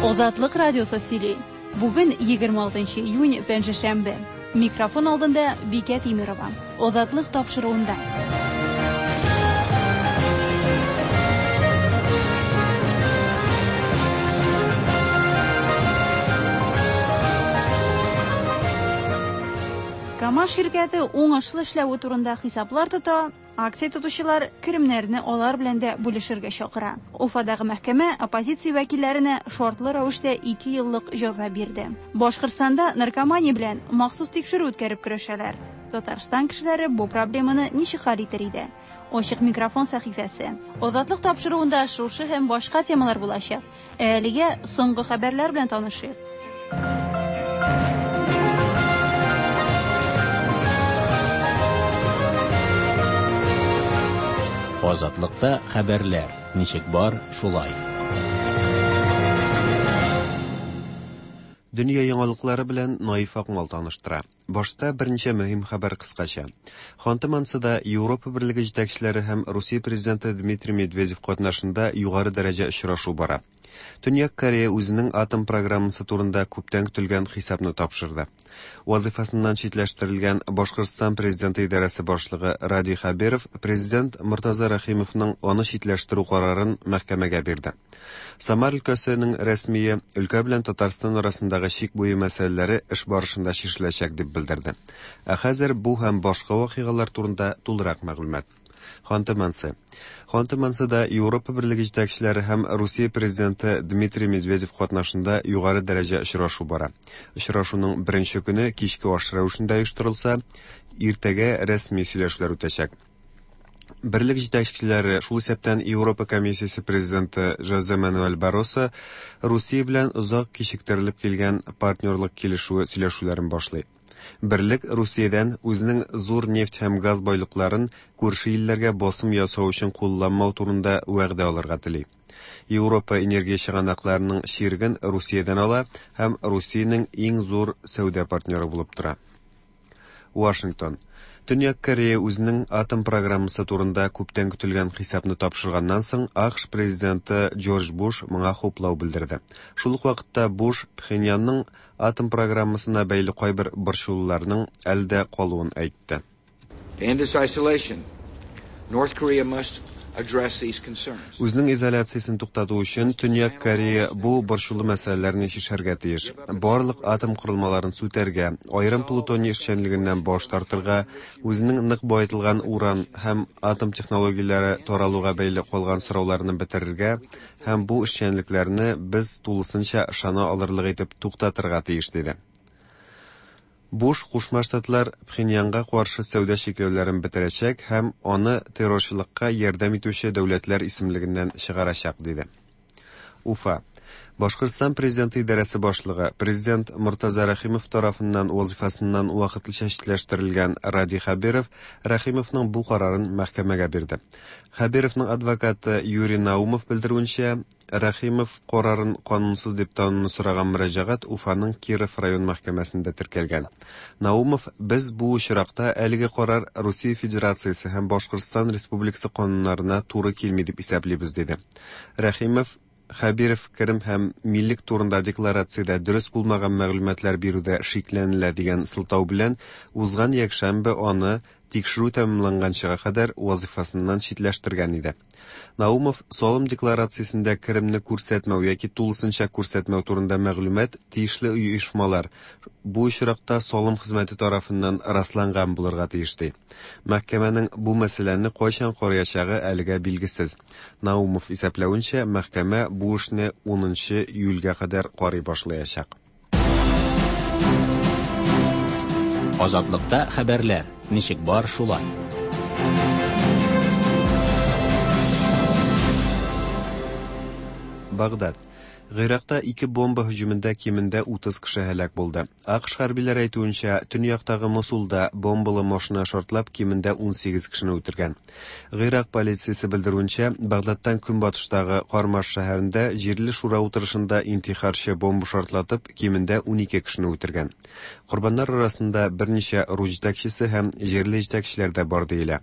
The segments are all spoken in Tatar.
Азатлык радиосы сөйли. Бүген 26 июнь, пәнҗешәмбе. Микрофон алдында Бикә Тимерова. Азатлык тапшыруында. КАМАЗ ширкәте уңышлы эшләве турында хисаплар тота, акция тотучылар керемнәрне алар белән дә бүлешергә чакыра. Уфадагы мәхкәмә оппозиция вәкилләренә шартлы рәвештә 2 еллык җәза бирде. Башкортстанда наркомания белән махсус тикшерү үткәреп көрәшәләр. Татарстан кешеләре бу проблеманы ничек хәл итер иде? Ачык микрофон сәхифәсе. Азатлык тапшыруында шушы һәм башка темалар булачак. Ә әлегә соңгы хәбәрләр белән танышыйк. Азатлыкта хәбәрләр ничек бар, шулай. Дөнья яңалыклары белән Наиф Акмал таныштыра. Башта берничә мөһим хәбәр кыскача. Ханты-Мансида Европа Берлеге җитәкчеләре һәм Русия президенты Дмитрий Медведев катнашында югары дәрәҗә очрашу бара. Төньяк Корея үзенең атом программасы турында күптән көтелгән хисапны тапшырды. Вазыйфасыннан читләштерелгән Башкортстан президенты идарәсе башлыгы Радий Хәбиров президент Мортаза Рәхимовның аны читләштерү карарын мәхкәмәгә бирде. Самар өлкәсенең рәсмие өлкә белән Татарстан арасындагы чик буе мәсьәләләре эш барышында чишеләчәк дип белдерде. Ә хәзер бу һәм башка вакыйгалар турында тулырак мәгълүмат. Ханты-Манси. Ханты-Мансида Европа Берлеге җитәкчеләре һәм Русия президенты Дмитрий Медведев катнашында югары дәрәҗә очрашу бара. Очрашуның беренче көне кичке аш рәвешендә оештырылса, иртәгә рәсми сөйләшүләр үтәчәк. Берлек җитәкчеләре, шул исәптән Европа комиссиясе президенты Жозе Мануэль Барросо, Русия белән озак кичектерелеп килгән партнерлык килешүе сөйләшүләрен башлый. Берлек Русиядән үзенең зур нефть һәм газ байлыкларын күрше илләргә басым ясау өчен кулланмау турында вәгъдә алырга тели. Европа энергия чыганакларының чиреген Русиядән ала һәм Русиянең иң зур сәүдә партнеры булып тора. Вашингтон. Төньяк Корея үзенең атом программасы турында күптән көтелгән хисапны тапшырганнан соң, АКШ президенты Джордж Буш моңа хуплау белдерде. Шул ук вакытта Буш Пхеньянның атом программасына бәйле кайбер борчылуларның әле дә калуын әйтте. To end its isolation, North Korea must address these concerns. Үзенең изоляциясен туктату өчен Төньяк Корея бу борчулы мәсьәләләрне чишәргә тиеш. Барлык атом корылмаларын сүтәргә, аерым плутоний эшчәнлегеннән баш тартырга, үзенең нык баетылган уран һәм атом технологияләре таралуга бәйле калган сорауларны бетерергә һәм бу эшчәнлекләрне без тулысынча ышана алырлык итеп туктатырга тиеш, диде. Буш Кушма Штатлар Пхеньянга каршы сәүдә чикләүләрен бетерәчәк һәм аны террорчылыкка ярдәм итүче дәүләтләр исемлегеннән чыгарачак, диде. Уфа. Башкортстан президенты идарәсе башлыгы, президент Мортаза Рәхимов тарафыннан вазыйфасыннан вакытлыча читләштерелгән Радий Хәбиров Рәхимовның бу карарын мәхкәмәгә бирде. Хәбировның адвокаты Юрий Наумов белдерүенчә, Рәхимов карарын канунсыз дип тануны сораган мөрәҗәгать Уфаның Киров район мәхкәмәсендә теркәлгән. Наумов, без бу очракта әлеге карар Русия Федерациясе һәм Башкортстан Республикасы кануннарына туры килми дип исәплибез, диде. Рәхимов, Хәбиров керем һәм милек турында декларациядә дөрес булмаган мәгълүматлар бирүдә шикләнелә дигән сылтау белән узган якшәмбе аны тикшерү тәмамланганчыга кадәр вазыйфасыннан читләштергән иде. Наумов салым декларациясендә керемне күрсәтмәү яки тулысынча күрсәтмәү турында мәгълүмат тиешле оешмалар, бу очракта салым хезмәте тарафыннан расланган булырга тиеш ди. Мәхкәмәнең бу мәсьәләне кайчан караячагы әлегә билгесез. Наумов исәпләвенчә, мәхкәмә бу эшне 10 июльгә кадәр карый башлаячак. Азатлыкта хәбәрләр ничек бар, шулай. Багдад. Гыйракта ике бомба һөҗүмендә кимендә 30 кеше һәлак булды. АКШ хәрбиләре әйтүенчә, төньяктагы Мосулда бомбалы машина шартлап кимендә 18 кешене үтергән. Гыйрак полициясе белдерүенчә, Багдадтан көнбатыштагы Кармаш шәһәрендә җирле шура утырышында интихарчы бомба шартлатып кимендә 12 кешене үтергән. Корбаннар арасында берничә рус җитәкчесе һәм җирле җитәкчеләр дә бар диелә.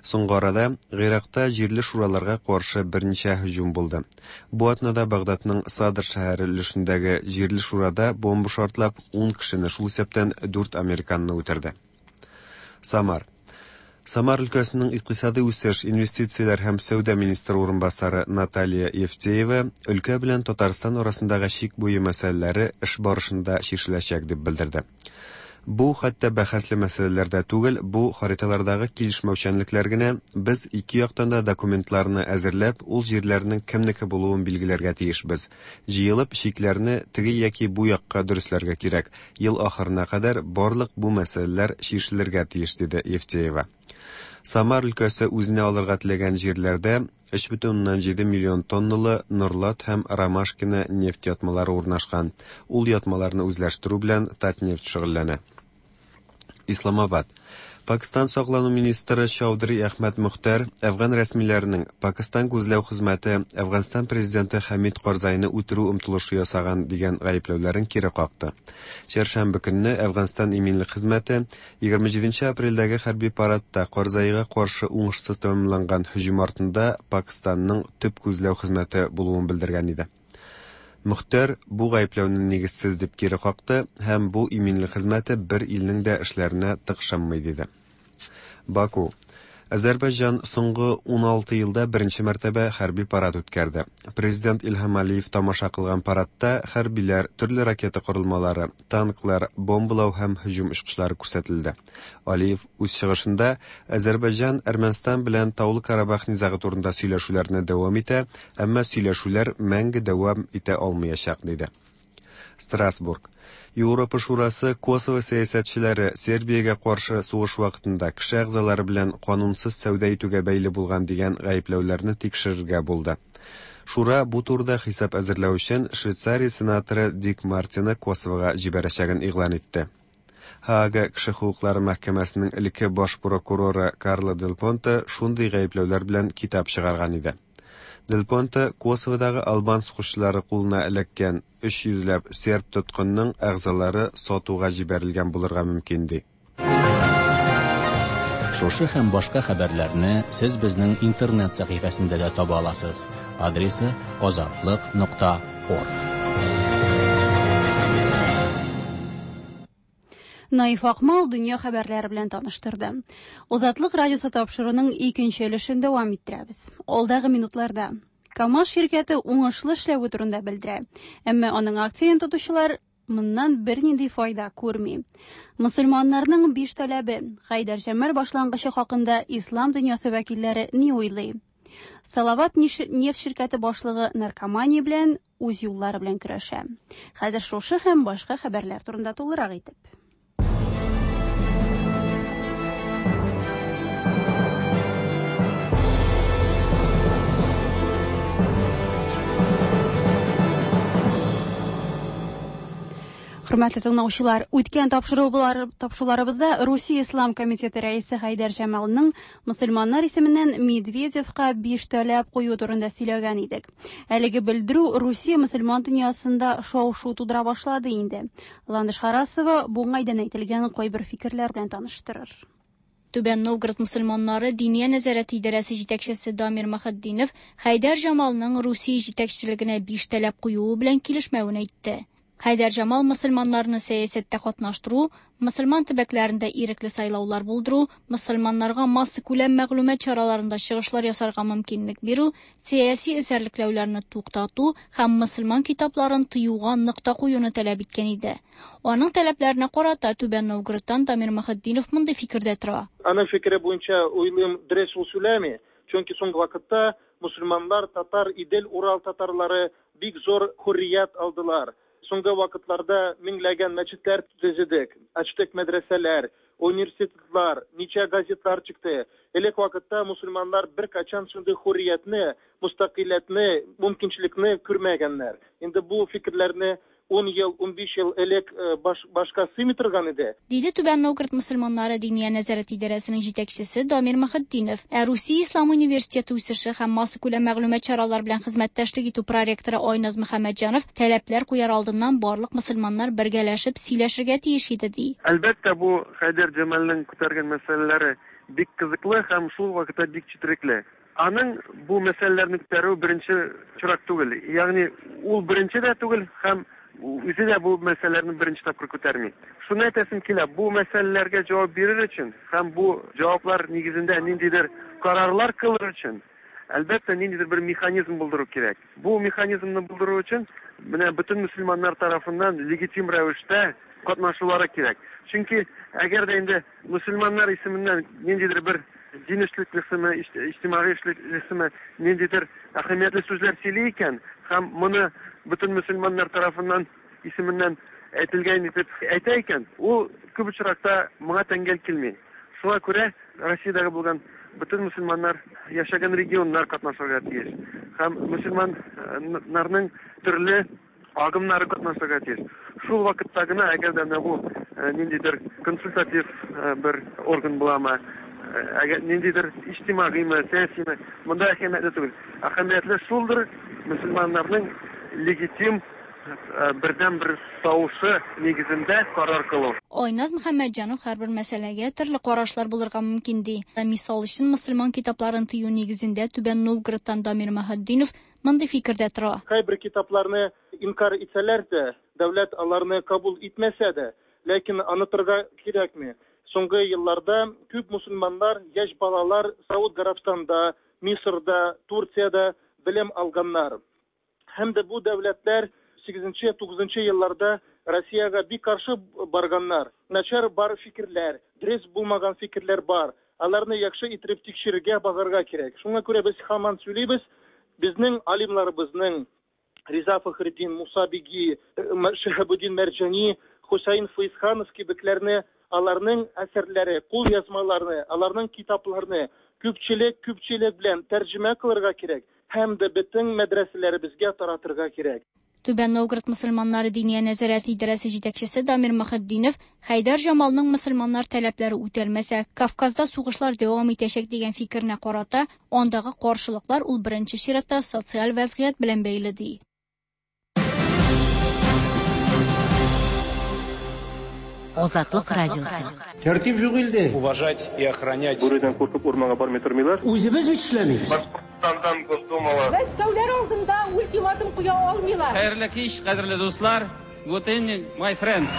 Соңгы арада Гыйракта җирле шураларга каршы берничә һөҗүм булды. Бу атнада Багдадның Садр Садр шәһәре өлешендәге җирле шурада бомба шартлап, 10 кешене, шул исәптән 4 американны үтерде. Самар. Самар өлкәсенең икътисадый үсеш, инвестицияләр һәм сәүдә министры урынбасары Наталья Евтеева өлкә белән Татарстан арасындагы чик буе мәсьәләләре эш барышында чишеләчәк дип белдерде. Бу хәтта бәхәсле мәсьәләләр дә түгел, бу хариталардагы килешмәүчәнлекләр генә. Без ике яктан да документларны әзерләп, ул җирләрнең кемнеке булуын билгеләргә тиешбез. Җыелып, чикләрне теге яки бу якка дөресләргә кирәк. Ел ахырына кадәр барлык бу мәсьәләләр чишелергә тиеш, диде Евтеева. Самар өлкәсе үзенә алырга теләгән җирләрдә 3,7 миллион тонналы Норлат һәм Ромашкино нефть ятмалары урнашкан. Ул ятмаларны үзләштерү белән Татнефть шөгыльләнә. Исламабад. Пакистан саклану министры Чаудри Әхмәд Мөхтәр әфган рәсмиләренең Пакистан күзләү хезмәте Әфганстан президенты Хәмид Карзайны үтерү омтылышы ясаган дигән гаепләүләрен кире какты. Чәршәмбе көнне Әфганстан иминлек хезмәте 27 апрельдәге хәрби парадта Карзайга каршы уңышсыз тәмамланган һөҗүм артында Пакистанның төп күзләү хезмәте булуын белдергән иде. Мөхтәр бу гаепләүне нигезсез дип кире какты һәм бу иминлек хезмәте бер илнең дә эшләренә тыкшынмый диде. Баку. Азәрбайҗан соңгы 16 елда беренче мәртәбә хәрби парад үткәрде. Президент Илһам Алиев тамаша кылган парадта хәрбиләр, төрле ракета корылмалары, танклар, бомбалау һәм һөҗүм очкычлары күрсәтелде. Алиев үз чыгышында Азәрбайҗан Әрмәнстан белән Таулы Карабах низагы турында сөйләшүләрне дәвам итә, әмма сөйләшүләр мәңге дәвам итә алмаячак, диде. Страсбург. Европа Шурасы Косово сәясәтчеләре Сербиягә каршы сугыш вакытында кеше әгъзалары белән канунсыз сәүдә итүгә бәйле булган дигән гаепләүләрне тикшерергә булды. Шура бу турыда хисап әзерләү өчен Швейцария сенаторы Дик Мартины Косовога җибәрәчәген игълан итте. Һаага кеше хокуклары мәхкәмәсенең элекке баш прокуроры Карло Дель Понте шундый гаепләүләр белән китап чыгарган иде. Дель Понте Косоводагы албан сугышчылары кулына эләккән 300 ләп серб тоткынның әгъзалары сатуга җибәрелгән булырга мөмкин ди. Шушы һәм башка хәбәрләрне сез безнең интернет сәхифәсендә дә таба аласыз. Адресы azatliq.org. Наиф Акмал дөнья хәбәрләре белән таныштырды. Азатлык радиосы тапшыруының икенче өлешен дәвам иттерәбез. Алдагы минутларда КАМАЗ ширкәте уңышлы эшләве турында белдерә. Әмма аның акцияен тотучылар моннан бернинди файда күрми. Мөселманнарның биш таләбе Хәйдәр Җәмал башлангычы хакында ислам дөньясы вәкилләре ни уйлый? Салават нефть ширкәте башлыгы наркомания белән үз юллары белән көрәшә. Хәзер шушы һәм башка хәбәрләр турында тулырак итеп. Хөрмәтле тыңлаучылар, үткән тапшыруларыбызда Русия Ислам комитеты рәисе Хәйдәр Җамалның мөселманнар исеменнән Медведевка 5 таләп кую турында сөйләгән идек. Әлеге белдерү Русия мөселман дөньясында шау-шу тудыра башлады инде. Ландыш Харасова бу уңайдан әйтелгән кайбер фикерләр белән таныштырыр. Түбән Новгород мөселманнары Диния нәзарәте идарәсе җитәкчесе Дамир Мөхетдинов Хәйдәр Җамалның Русия җитәкчелегенә 5 таләп куюы белән килешмәвен әйтте. Хәйдәр Җамал мөселманнарны сәясәттә катнаштыру, мөселман төбәкләрендә ирекле сайлаулар булдыру, мөселманнарга массакүләм мәгълүмат чараларында чыгышлар ясарга мөмкинлек бирү, сәяси эзәрлекләүләрне туктату һәм мөселман китапларын тыюга нокта куюны таләп иткән иде. Аның таләпләренә карата Түбән Новгородтан Дамир Мөхетдинов мондый фикердә тора. Аның фикере буенча уйлыйм, дөрес ул сөйләми, чөнки соңгы вакытта мөселманнар, татар, Идел, Урал татарлары бик зур хөррият алдылар. Соңгы вакытларда меңләгән мәчетләр төзедек, ачтык мәдрәсәләр, университетлар, ничә газетлар чыкты. Элек вакытта мөселманнар бер качан шундый хөрриятне, мустақилләтне, мөмкинчелекне күрмәгәннәр. Инде бу фикерләрне 10 ел, 15 ел элек башка сыймый торган иде. Диде Түбән Новгород мөселманнары Диния нәзарәте идарәсенең җитәкчесе Дамир Мөхетдинов. Ә Русия Ислам университеты үсеше һәм массакүләм мәгълүмат чаралары белән хезмәттәшлек итү проректоры Айназ Мөхәммәтҗанов таләпләр куяр алдыннан барлык мөселманнар бергәләшеп сөйләшергә тиеш иде, ди. Әлбәттә, бу Хәйдәр Җамалның күтәргән мәсьәләләре бик кызыклы һәм шул вакытта бик четерекле. Аның бу мәсьәләләрне күтәрүе беренче очрак түгел. Ягъни ул беренче дә түгел һәм үзе дә бу мәсьәләләрне беренче тапкыр күтәрми. Шуны әйтәсем килә, бу мәсьәләләргә җавап бирер өчен һәм бу җаваплар нигезендә ниндидер карарлар кылыр өчен, әлбәттә, ниндидер бер механизм булдыру кирәк. Бу механизмны булдыру өчен менә бөтен мөселманнар тарафыннан легитим рәвештә катнашулары кирәк. Чөнки әгәр дә инде мөселманнар исеменнән ниндидер бер дин эшлеклесеме, иҗтимагый эшлеклесеме ниндидер әһәмиятле сүзләр сөйли икән һәм моны бөтен мөселманнар тарафыннан исеменнән әйтелгән итеп әйтә икән, ул күп очракта моңа тәңгәл килми. Шуңа күрә Россиядәге булган бөтен мөселманнар яшәгән регионнар катнашырга тиеш һәм мөселманнарның төрле агымнары катнашырга тиеш. Шул вакытта гына, әгәр дә менә бу ниндидер консультатив бер орган буламы, әгәр ниндидер иҗтимагыймы, сәясиме, монда әһәмиятле түгел. Әһәмиятле шулдыр, мөселманнарның легитим бердәнбер тавышы нигезендә карар кылу. Айназ Мөхәммәтҗанов һәрбер мәсьәләгә төрле карашлар булырга мөмкин ди. Мисал өчен, мөселман китапларын тыю нигезендә Түбән Новгородтан Дамир Маһетдинов мондый фикердә тора. Кайбер китапларны инкарь итсәләр дә, дәүләт аларны кабул итмәсә дә, ләкин онытырга кирәкми, соңгы елларда күп мөселманнар, яшь балалар Сауд Гарәбстанда, Мисырда, Турциядә белем алганнар. Һәм дә бу дәүләтләр сигезенче, тугызынчы елларда Россиягә бик каршы барганнар. Начар бар фикерләр, дөрес булмаган фикерләр бар. Аларны яхшы иттереп тикшерергә, багарга кирәк. Шуңа күрә без һаман сөйлибез, безнең алимнарыбызның, Риза Фәхретдин, Муса Биги, Шиһабетдин Мәрҗани, Хөсәен Фәезханов кебекләрне, аларның әсәрләре, кулъязмаларны, аларның китапларны күпчелек, күпчелек белән тәрҗемә кылырга кирәк һәм дә бөтен мәдрәсәләребезгә таратырга кирәк. Түбән Новгород мөселманнары Диния нәзарәте идарәсе җитәкчесе Дамир Мөхетдинов Хәйдәр Җамалның мөселманнар таләпләре үтәлмәсә, Кавказда сугышлар дәвам итәчәк дигән фикеренә карата, андагы каршылыклар ул беренче чиратта социаль вәзгыять белән бәйле ди. Азатлык радиосы. Тәртип юк илдә. Уважать и охранять. Бүредән куркып урманга бармый тормыйлар. Үзебез бит эшләмибез. Башкортстандан Госдумалы. Мәскәүләр алдында ультиматум куя алмыйлар. Хәерле кич, кадерле дуслар. Good evening, my friends.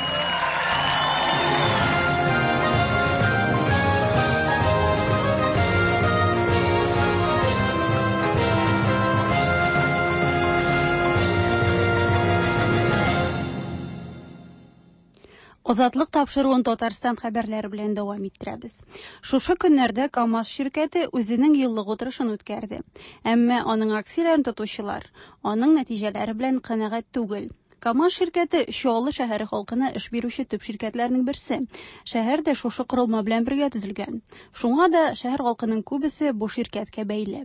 Азатлык тапшыруын Татарстан хәбәрләре белән дәвам иттерәбез. Шушы көннәрдә КАМАЗ ширкәте үзенең еллык утырышын үткәрде. Әмма аның акцияләрен тотучылар аның нәтиҗәләре белән канәгать түгел. КАМАЗ ширкәте Чаллы шәһәре халкына эш бирүче төп ширкәтләрнең берсе. Шәһәр дә шушы корылма белән бергә төзелгән. Шуңа да шәһәр халкының күбесе бу ширкәткә бәйле.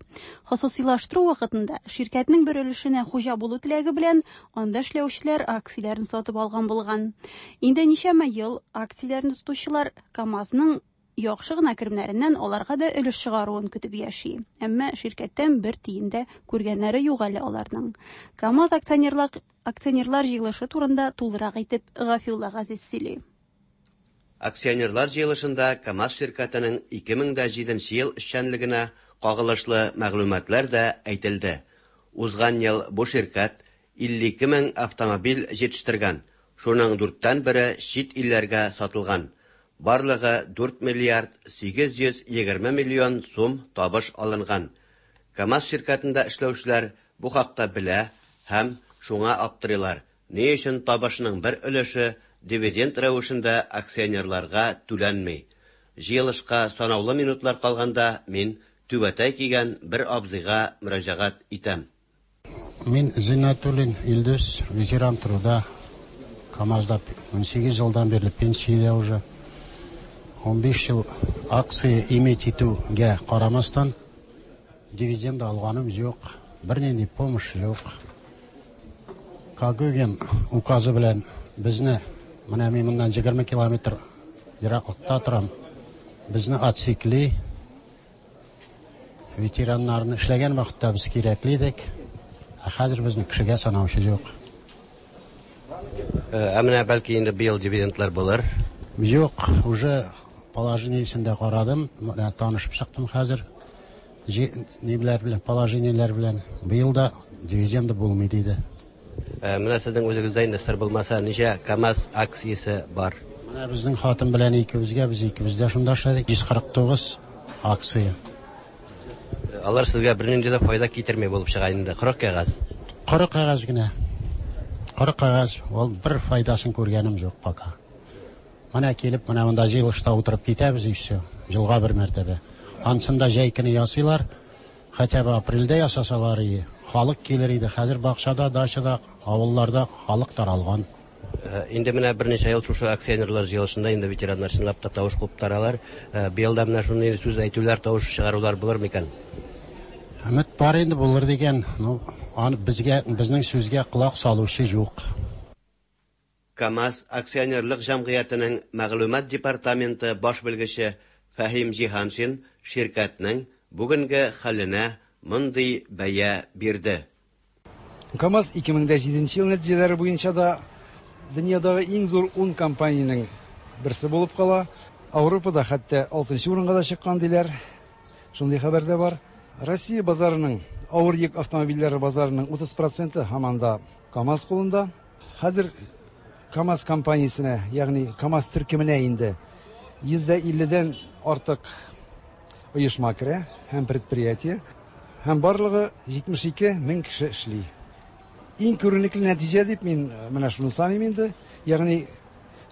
Хосусыйлаштыру вакытында ширкәтнең бер өлешенә хуҗа булу теләге белән анда эшләүчеләр акцияләрен сатып алган булган. Инде ничәмә ел акцияләрне тотучылар КАМАЗның яхшы гына керемнәреннән аларга да өлеш чыгаруын көтеп яши. Әмма ширкәттән бер тиен дә күргәннәре юк әле аларның. КАМАЗ акционерлар җыелышы турында тулырак итеп Гафиулла Газиз сөйли. Акционерлар җыелышында КАМАЗ ширкәтенең 2007 ел эшчәнлегенә кагылышлы мәгълүматлар да әйтелде. Узган ел бу ширкәт 52 мең автомобиль җитештергән, шуның дүрттән бере чит илләргә сатылган. Барлыгы 4 миллиард 820 миллион сум табыш алынган. КАМАЗ ширкәтендә эшләүчеләр бу хакта белә һәм шуңа аптырыйлар. Ни өчен табышның бер өлеше дивиденд рәвешендә акционерларга түләнми? Җыелышка санаулы минутлар калганда мин түбәтәй кигән бер абзыйга мөрәҗәгать итәм. Мин Зиннәтуллин Илдус, ветеран труда, КАМАЗда 18 елдан бирле пенсиядә уже. 15 ел акция иметь итүгә карамастан дивиденд алганым юк, бернинди помощь юк. Когогин указы белән безне, менә мин моннан 20 километр ераклыкта торам, безне отсекли. Ветераннарны эшләгән вакытта без кирәкле идек, ә хәзер безне кешегә санаучы юк. Ә менә бәлки инде быел дивидендлар булыр? Юк, уже положениесен дә карадым, менә танышып чыктым хәзер. ниләр белән, положениеләр белән. Быел да дивиденды булмый диде. Менә сезнең үзегездә инде сер булмаса, ничә КАМАЗ акциясе бар? Менә безнең хатын белән икебезгә, без икебез дә шунда эшләдек, 149 акция. Алар сезгә бернинди дә файда китерми булып чыга инде, коры кәгазь. Коры кәгазь генә. Коры кәгазь, ул бер файдасын күргәнем юк пока. Менә килеп, менә монда җыелышта утырып китәбез и все. Елга бер мәртәбә. Ансын да җәй көне ясыйлар. Хотя бы апрельдә ясасалар и халык килер иде. Хәзер бакчада, дачада, авылларда халык таралган. Инде менә берничә ел шушы акционерлар җыелышында инде ветераннар чынлап та тавыш куптаралар. Быел да менә шундый сүз әйтүләр, тавыш чыгарулар булыр микән? Өмет бар инде булыр дигән. Ну, аны безгә, безнең сүзгә колак салучы юк. КАМАЗ акционерлык җәмгыятенең мәгълүмат департаменты баш белгече Фәһим Җиһаншин ширкәтнең бүгенге хәленә мондый бәя бирде. КАМАЗ 2007 ел нәтиҗәләре буенча да дөньядагы иң зур 10 компаниянең берсе булып кала. Ауропада хәтта 6 урынга да чыккан диләр. Шундый хәбәр дә бар. Россия базарының авыр йөк автомобильләре базарының 30 проценты һаман да КАМАЗ кулында. Хәзер КАМАЗ компаниясенә, ягъни КАМАЗ төркеменә инде 150-дән артык оешма керә һәм предприятие, һәм барлыгы 72 мең кеше эшли. Иң күренекле нәтиҗә дип мин менә шуны саныйм инде, ягъни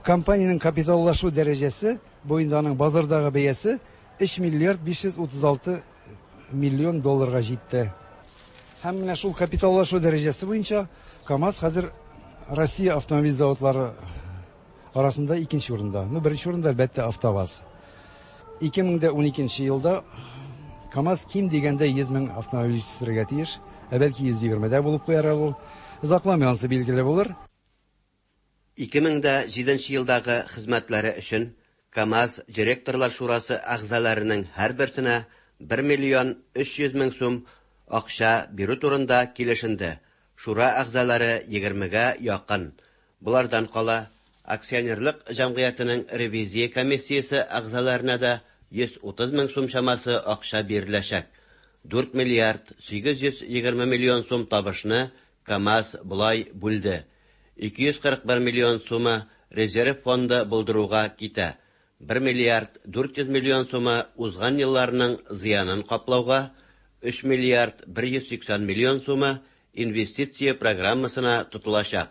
компаниянең капиталлашу дәрәҗәсе, бу инде аның базардагы бәясе 3 миллиард 536 миллион долларга җитте. Һәм менә шул капиталлашу дәрәҗәсе буенча КАМАЗ хәзер Россия автомобиль заводлары арасында икенче урында. Ну, беренче урында, әлбәттә, АвтоВАЗ. 2012 елда КАМАЗ ким дигәндә 100 мең автомобиль җитештерергә тиеш. Ә бәлки 120 дә булып куяр әле ул. Озакламый ансы билгеле булыр. 2007 елдагы хезмәтләре өчен КАМАЗ директорлар шурасы әгъзаларының һәрберсенә 1 миллион 300 мең сум акча бирү турында килешенде. Шура әгъзалары 20-гә якын. Болардан кала, акционерлык җәмгыятенең ревизия комиссиясе әгъзаларына да 130 мең сум чамасы акча биреләчәк. 4 миллиард 820 миллион сум табышны КАМАЗ болай бүлде. 241 миллион сумы резерв фонды булдыруга китә. 1 миллиард 400 миллион сумы узган елларның зыянын каплауга, 3 миллиард 180 миллион сумы инвестиция программасына тотылачак.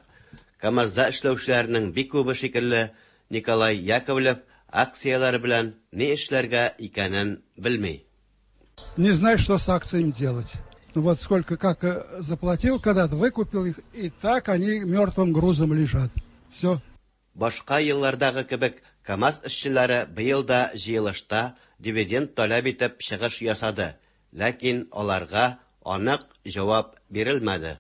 КАМАЗда эшләүчеләрнең бик күбе шикелле Николай Яковлев акцияләре белән ни эшләргә икәнен белми. Не знаю, что с акциями делать. Ну вот сколько, как заплатил когда-то, выкупил их, и так они мертвым грузом лежат. Все. Башка еллардагы кебек КАМАЗ эшчеләре быел да җыелышта дивиденд таләп итеп чыгыш ясады, ләкин аларга анык җавап бирелмәде.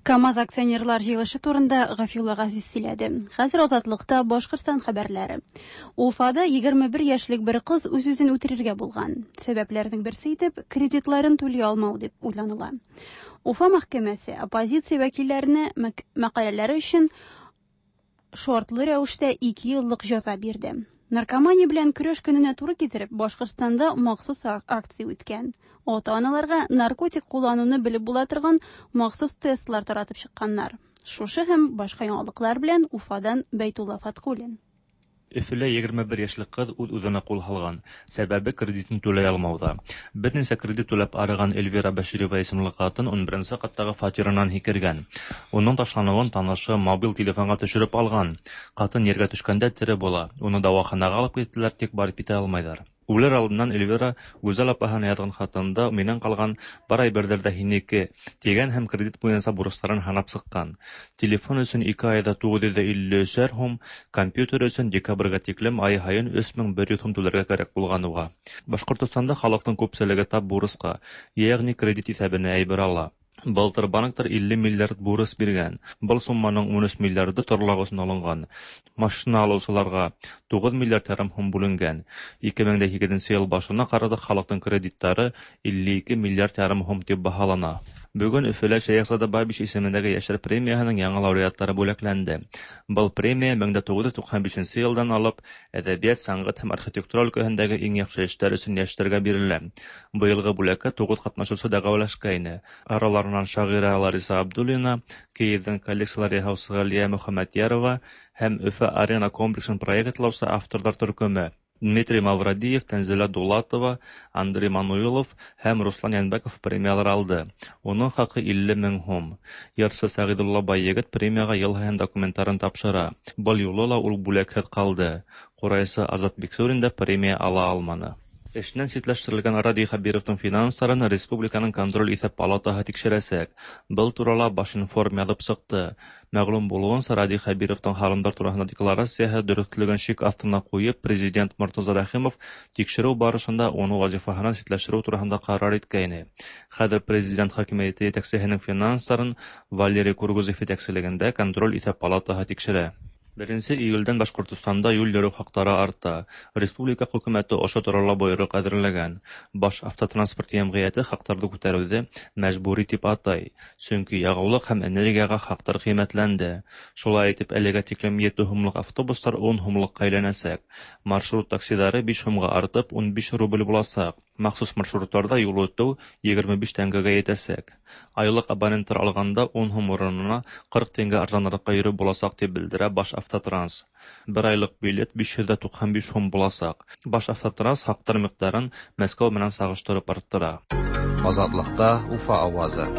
КАМАЗ акционерлар җыелышы турында Гафиулла Газиз сөйләде. Хәзер Азатлыкта Башкортстан хәбәрләре. Уфада 21 яшьлек бер кыз үз-үзен үтерергә булган. Сәбәпләрнең берсе итеп кредитларын түли алмау дип уйланыла. Уфа мәхкәмәсе оппозиция вәкилләренә мәкаләләре өчен шартлы рәвештә 2 еллык җәза бирде. Наркомания белән көрәш көненә туры китереп, Башкортстанда махсус акция үткән. Ата-аналарга наркотик куллануны белеп була торган махсус тестлар таратып чыкканнар. Шушы һәм башка яңалыклар белән Уфадан Бәйтулла Фаткуллин. Өфөлә 21 яшьлек кыз үз-үзенә кул һалган. Сәбәбе кредитын түләй алмауда. Берничә кредит түләп арыган Эльвира Бәширова исемле хатын 11 каттагы фатирыннан һикергән. Уның ташлануын танышы мобиль телефонга төшереп алган. Хатын ергә төшкәндә тере була. Уны дәваханага алып киттеләр, тик барып китә алмайлар. Үлер алдыннан Эльвира Гүзәл апаһына язган хатында миннән калган бар әйберләр дә һинеке дигән һәм кредит буенча бурычларын һанап чыккан. Телефон өчен 2 айда 953 һум, компьютер өчен декабрьгә тиклем ай һаен 3100 һум түләргә кәрәк булган уга. Башкортостанда халыкның күпчелеге тап бурычка, ягъни кредит исәбенә әйбер ала. Былтыр банктар 50 миллиард бурыс биргән. Был сумманың 13 миллиарды торлак өчен алынган. Машина алыусыларга 9 миллиард ярым һум бүленгән. 2008 ел башына карата халыктың кредитлары 52 миллиард ярым һум дип баһалана. Бүген Өфөлә Шәехзада Бабич исемендәге яшьләр премияһының яңа лауреатлары бүләкләнде. Был премия 1995 елдан алып әдәбият, сәнгать һәм архитектура өлкәһендәге иң яхшы эшләр өчен яшьләргә бирелә. Быелгы бүләккә 9 катнашучы дәгъвалашкайны. Араларыннан шагыйрә Лариса Абдуллина, Киевдән коллекцияләр яһаучы Галия Мөхәммәдьярова һәм Өфө арена комплексын проектлаучы авторлар төркеме. Дмитрий Мавродиев, Тәнзилә Дулатова, Андрей Мануилов һәм Руслан Янбәков премияләр алды. Уның хакы 50 мең һум. Йырсы Сәгыйдулла Байегет премиягә ел һайын документларын тапшыра. Был юлы ла ул бүләкһеҙ ҡалды. Ҡурайсы Азат Биксурин да премия ала алманы. Эшенән ситләштерелгән Радий Хәбировтың финанстарын республиканың контроль иҫәп палатаһы тикшерәсәк. Был турала Башинформ яҙып сыҡты. Мәғлүм булыуынса, Радий Хәбировтың һалымдар тураһында декларацияһы дөрөҫлөгөн шик аҫтына ҡуйып, президент Мортаза Рәхимов тикшереү барышында уны вазифаһынан ситләштереү тураһында ҡарар иткәйне. Хәҙер президент хакимиәте етәксеһенең финанстарын Валерий Кургузов етәкселегендә контроль иҫәп палатаһы тикшерә. 1 июлдән Башҡортостанда юл йөрөү хаҡтары арта. Республика хөкүмәте ошо турала бойороҡ әҙерләгән. Баш автотранспорт йәмғиәте хаҡтарҙы күтәреүҙе мәжбүри тип атай, сөнки яғыулыҡ һәм энергияға хаҡтар ҡиммәтләнде. Шулай итеп, әлегә тиклем 7 һумлыҡ автобустар 10 һумлыҡҡа әйләнәсәк. Маршрут таксиҙары 5 һумға артып 15 рубль буласаҡ. Махсус маршруттарҙа юл үтеү 25 тәңгәгә етәсәк. Айлыҡ абоненттар алғанда 10 һум урынына 40 тәңгә арзаныраҡҡа йөрөп буласаҡ тип белдерә Баш автотранс. Бер айлыҡ билет 595 һум буласаҡ. Баш автотранс хаҡтар миҡдарын Мәскәү менән сағыштырып арттыра. Азатлыкта Уфа авазы.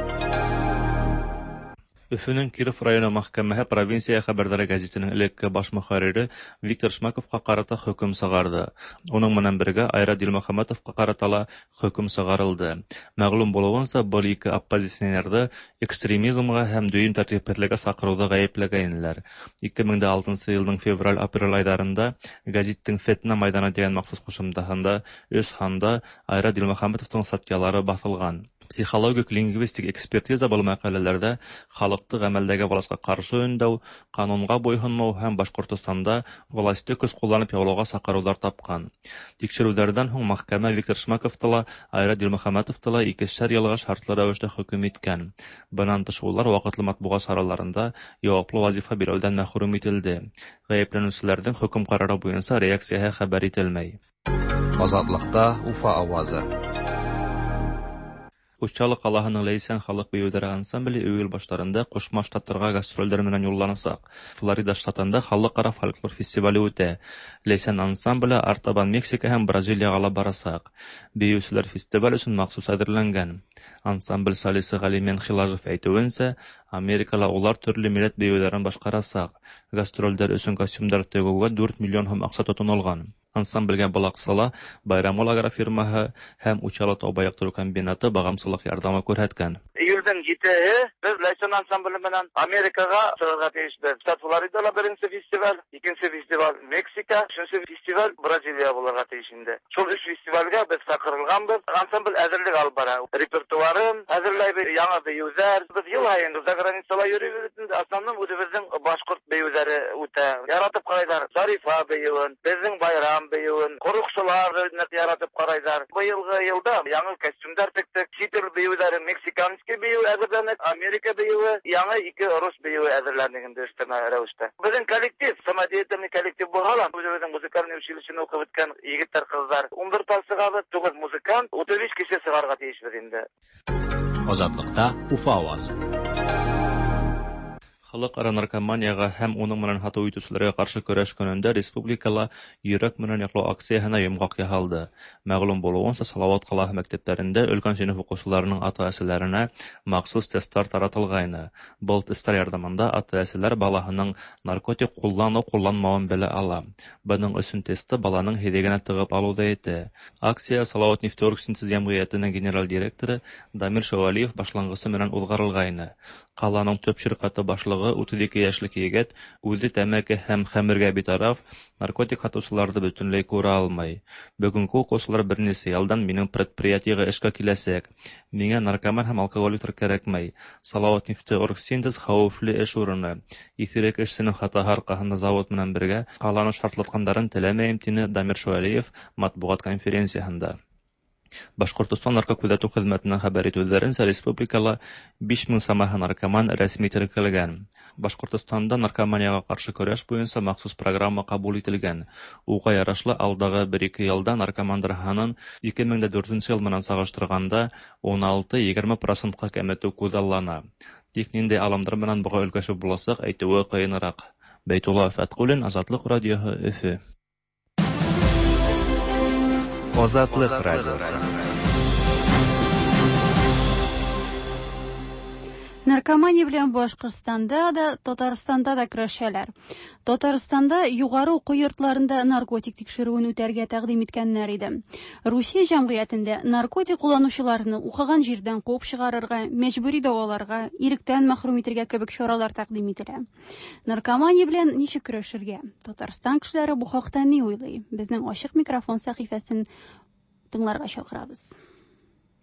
Өфөнөң Киров районы мәхкәмәһе «Провинция хәбәрҙәре» гәзитенең элекке баш мөхәррире Виктор Шмаковҡа ҡарата хөкөм сығарҙы. Уның менән бергә Айрат Дилмөхәмәтовҡа ҡарата ла хөкөм сығарылды. Мәғлүм булыуынса, был ике оппозиционерҙы экстремизмға һәм дөйөм тәртипһеҙлеккә саҡырыуҙа ғәйепләгәйнеләр. 2006 йылдың февраль-апрель айҙарында гәзиттең «Фетнә майҙаны» тигән махсус ҡушымтаһында 3 һанда Айрат Дилмөхәмәтовтың статьялары баҫылған. Психологик лингвистик экспертиза был мәҡәләләрҙә халыҡты ғәмәлдәге власҡа ҡаршы өндәү, ҡанунға буйһонмау һәм Башҡортостанда власты көс ҡулланып яулауға саҡырыуҙар тапҡан. Тикшереүҙәрҙән һуң мәхкәмә Виктор Шмаковты ла, Айрат Дилмөхәмәтовты ла икешәр йылға шартлы рәүештә хөкөм иткән. Бынан тыш улар ваҡытлы матбуғат сараларында яуаплы вазифа биреүҙән мәхрүм ителде. Ғәйепләнеүселәрҙең хөкөм ҡарары буйынса реакцияһы хәбәр ителмәй. Азатлыкта Уфа авазы. Учалы ҡалаһының Ләйсән халыҡ бейеүҙәре ансамбле июль баштарында Ҡушма Штаттарға гастролдәр менән юлланасаҡ. Флорида штатында халыҡ-ара фольклор фестивале үтә. Ләйсән ансамбле артабан Мексика һәм Бразилияға ла барасаҡ. Бейеүселәр фестиваль өсөн махсус әҙерләнгән. Ансамбль солисы Ғәлимен Хилажев әйтеүенсә, Америкала улар төрлө милләт бейеүҙәрен башҡарасаҡ. Гастролдәр өсөн костюмдар тегеүгә 4 миллион һум аҡса тотонолған. Ансамблгә был аҡсала Байрамгөл агрофирмаһы һәм Учалы тау яҡтырыу комбинаты бағамсылыҡ ярҙамы күрһәткән. Июлдең 7-һе беҙ Ләйсән ансамбле менән Америкаға сығырға тейешбеҙ. Штат Флоридала беренсе фестиваль, икенсе фестиваль Мексика, өсөнсө фестиваль Бразилия булырға тейеш инде. Шул өс фестивалгә беҙ саҡырылғанбыҙ. Ансамбль әҙерлек алып бара. Репертуарын әҙерләйбеҙ, яңы бейеүҙәр. Беҙ йыл һайын за границала йөрөйбөҙ инде. Основном үҙебеҙҙең башҡорт бейеүҙәре үтә. Яратып ҡарайҙар Зарифа бейеүен, беҙҙең байрам бейеүен, ҡороҡсолар ныҡ яратып ҡарайҙар. Быйылғы йылда яңы костюмдар тектек, сит ил бейеүҙәре, мексиканский бейеү әҙерләнек, Америка бейеүе, яңы ике рус бейеүе әҙерләнек инде өҫтәмә рәүештә. Беҙҙең коллектив, самодеятельный коллектив булһа ла, үҙебеҙҙең музыкальный училищены уҡып бөткән егеттәр, ҡыҙҙар. 11 пар сығабыҙ, 9 музыкант, 35 кеше сығарға тейешбеҙ инде. Азатлыкта Уфа авазы. Халыҡ-ара наркоманияға һәм уның менән һатыу итеүселәргә ҡаршы көрәш көнөндә республикала йөрәк менән яҡлау акцияһына йомғаҡ яһалды. Мәғлүм булыуынса, Салауат ҡалаһы мәктәптәрендә өлкән синыф уҡыусыларының ата-әсәләренә махсус тесттар таратылғайны. Был тесттар ярҙамында ата-әсәләр балаһының наркотик ҡулланыу-ҡулланмауын белә ала. Бының өсөн тестты баланың һиҙегенә тығып алыу ҙа етә. Акция Салауат нефтеоргсинтез йәмғиәтенең генераль директоры Дамир Шәүәлиев башланғысы менән уҙғарылғайны. Ҡаланың төп ширҡәте башлығы башлыгы, 32 яшьлек егет, үзе тәмәке һәм хәмергә битараф, наркотик һатучыларны бөтенләй күрә алмый. Бүгенге укучылар берничә елдан минем предприятиегә эшкә киләчәк. Миңа наркоман һәм алкоголиклар кирәкми. Салаватнефтеоргсинтез хәвефле эш урыны. Исерек эшченең хатаһы аркасында завод белән бергә каланы шартлатканнарын теләмәем, диде Дамир Шуалиев матбугат конференциясендә. Башкортостан наркокүзәтү хезмәтеннән хәбәр итүләренчә, республикала 5000 самаһы наркоман рәсми теркәлгән. Башкортостанда наркоманиягә каршы көрәш буенча махсус программа кабул ителгән. Уга ярашлы алдагы 1-2 елда наркомандар һанын 2004 ел менән чагыштырганда 16-20 процентка кәметү күзаллана. Тик нинди алымдар менән буга өлгәшеп булачак әйтүе кыенрак. Бәйтулла Фәткуллин, Азатлык радиоһы, Өфе. Азатлык радиосы. Наркомания белән Башкортстанда да, Татарстанда да көрәшәләр. Татарстанда югары уку йортларында наркотик тикшерүен үтәргә тәкъдим иткәннәр иде. Русия җәмгыятендә наркотик кулланучыларны укыган җирдән куып чыгарырга, мәҗбүри дәваларга, иректән мәхрүм итергә кебек чаралар тәкъдим ителә. Наркомания белән ничек көрәшергә? Татарстан кешеләре бу хакта ни уйлый? Безнең ачык микрофон сәхифәсен тыңларга чакырабыз.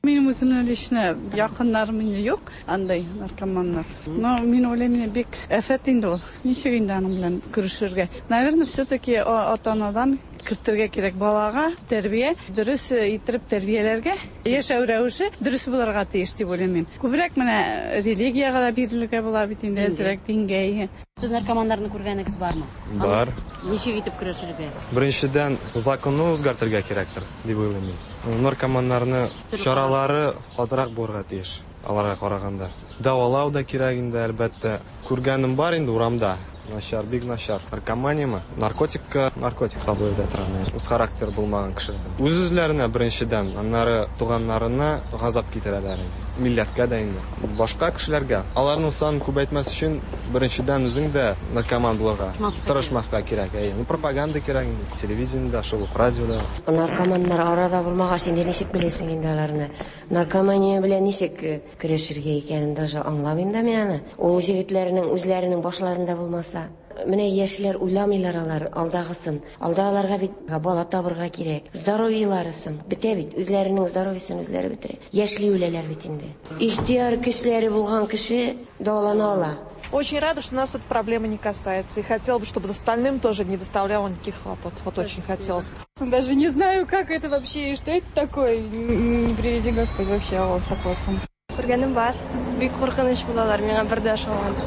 Минем үземнең лично якыннарым инде юк, андай наркоманнар. Но мин уйлыйм, инде бик афәт инде ул. Ничек инде аның белән көрәшергә? Наверное, все-таки ата-анадан кертергә кирәк балага тәрбия, дөрес иттереп тәрбияләргә, яшәү рәвеше дөрес булырга тиеш дип уйлыйм мин. Күбрәк менә религиягә дә бирелергә була бит инде, әзрәк дингә. Сез наркоманнарны күргәнегез бармы? Бар. Ничек итеп көрәшергә? Беренчедән, законны үзгәртергә кирәктер, дип уйлыйм мин. Наркоманнарны чаралары катырак булырга тиеш, аларга караганда. Дәвалау да кирәк инде, әлбәттә. Күргәнем бар инде урамда. Начар, бик начар. Наркоманияме? Наркотикка, наркотик кабул итә торган. Үз характер булмаган кешеләр. Үз-үзләренә беренчедән, аннары туганнарына газап китерәләр инде. Милләткә дә инде. Башка кешеләргә. Аларның санын күбәйтмәс өчен беренчедән үзең дә наркоман булырга тырышмаска кирәк. Әйе, ну пропаганда кирәк инде. Телевидениедә, шул ук радиода. Наркоманнар арада булмагач, инде ничек беләсең инде аларны? Наркомания белән ничек көрәшергә икәнен даже аңламыйм да мин аны. Ул егетләрнең үзләренең башларында булмаса. Менә яшьләр уйламыйлар алар алдагысын. Алда аларга бит бала табырга кирәк. Здоровьеларысын бетә бит, үзләренең здоровьесын үзләре бетерә. Яшьли үләләр бит инде. Ихтыяр көчләре булган кеше дәвалана ала. Очень рада, что нас эта проблема не касается. И хотела бы, чтобы остальным тоже не доставляло никаких хлопот. Вот очень хотелось бы. Даже не знаю, как это вообще и что это такое. Не приведи Господь вообще Аллах сакласын. Күргәнем бар. Бик куркыныч булалар, миңа бер дә ошамады.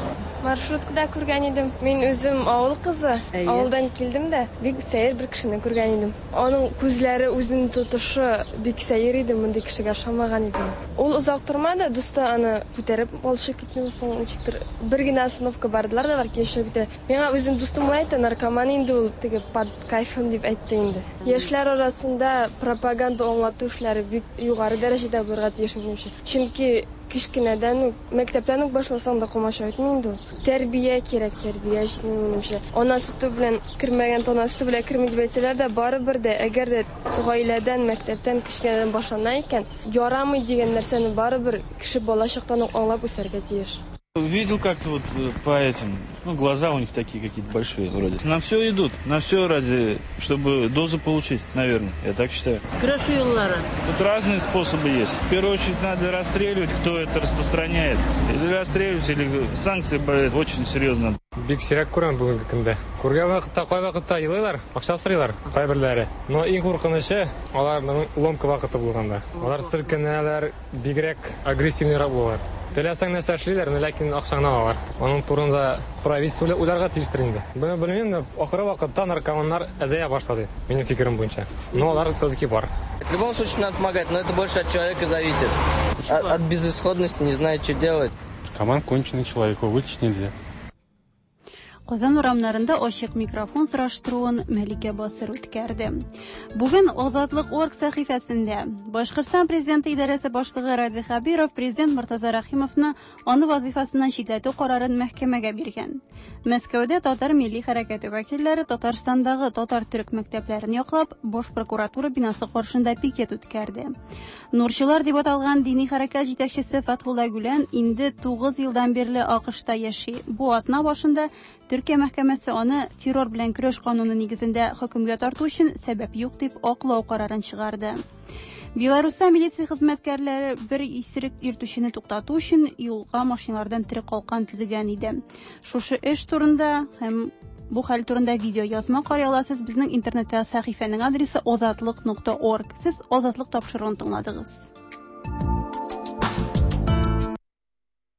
Маршруткада күргән идем. Мин үзем авыл кызы. Авылдан килдем дә, бик сәер бер кешене күргән идем. Аның күзләре, үзенең тотышы бик сәер иде, мондый кешегә ошамаган идем. Ул озак тормады, дусты аны күтәреп алып китте, соң ничектер бер генә остановка бардылар да, алар килешеп китә. Миңа үзем дустым әйтте, наркоман инде ул, теге под кайфом дип әйтте инде. Яшьләр арасында пропаганда аңлату эшләре бик югары дәрәҗәдә булырга тиеш минемчә. Чөнки кечкенәдән үк, мәктәптән үк башласаң да комачау итми инде ул. Тәрбия кирәк, тәрбия җитми минемчә. Ана сөте белән кермәгән, тана сөте белән керми дип әйтсәләр дә, барыбер дә, әгәр дә гаиләдән, мәктәптән кечкенәдән башлана икән, ярамый дигән нәрсәне барыбер кеше бала чактан ук аңлап үсәргә тиеш. Видел как-то вот по этим, ну, глаза у них такие какие-то большие вроде. На все идут, на все ради, чтобы дозу получить, наверное, я так считаю. Көрәшү юллары. Тут разные способы есть. В первую очередь надо расстреливать, кто это распространяет. Или расстреливать, или санкции бывают очень серьезно. Бик сирәк күрәм бүгенге көндә. Күргән вакытта, кай вакытта елыйлар, акча сорыйлар кайберләре. Но иң куркынычы аларның ломка вакыты булганда. Алар селкенәләр, бигрәк агрессивныйрак булалар. Теләсәң нәрсә эшлиләр, но ләкин акчаңны алалар. Аның турында правительство уйларга тиештер инде. Бу белмим, ахыры вакытта наркоманнар әзәя башлады, минем фикерем буенча. Но алар все-таки бар. В любом случае надо помогать, но это больше от человека зависит. От безысходности не знает, что делать. Наркоман конченый человек, его вылечить нельзя. Казан урамнарында ачык микрофон сораштыруын Мәликә Басыр үткәрде. Бүген Азатлык орг сәхифәсендә Башкортстан президенты идарәсе башлыгы Радий Хәбиров президент Мортаза Рәхимовны аны вазыйфасыннан читләтү карарын мәхкәмәгә биргән. Мәскәүдә татар милли хәрәкәте вәкилләре Татарстандагы татар-төрек мәктәпләрен яклап, баш прокуратура бинасы каршында пикет үткәрде. Нурчылар дип аталган дини хәрәкәт җитәкчесе Фәтхулла Гүлән инде 9 елдан бирле АКШта яши. Бу атна башында Төркия мәхкәмәсе аны террор белән көрәш кануны нигезендә хөкемгә тарту өчен сәбәп юк дип аклау карарын чыгарды. Беларуста милиция хезмәткәрләре бер исерек йөртүчене туктату өчен юлга машиналардан тере калкан төзегән иде. Шушы эш турында һәм бу хәл турында видео язма карый аласыз безнең интернетта сәхифәнең адресы озатлык.орг. Сез Азатлык тапшыруын тыңладыгыз.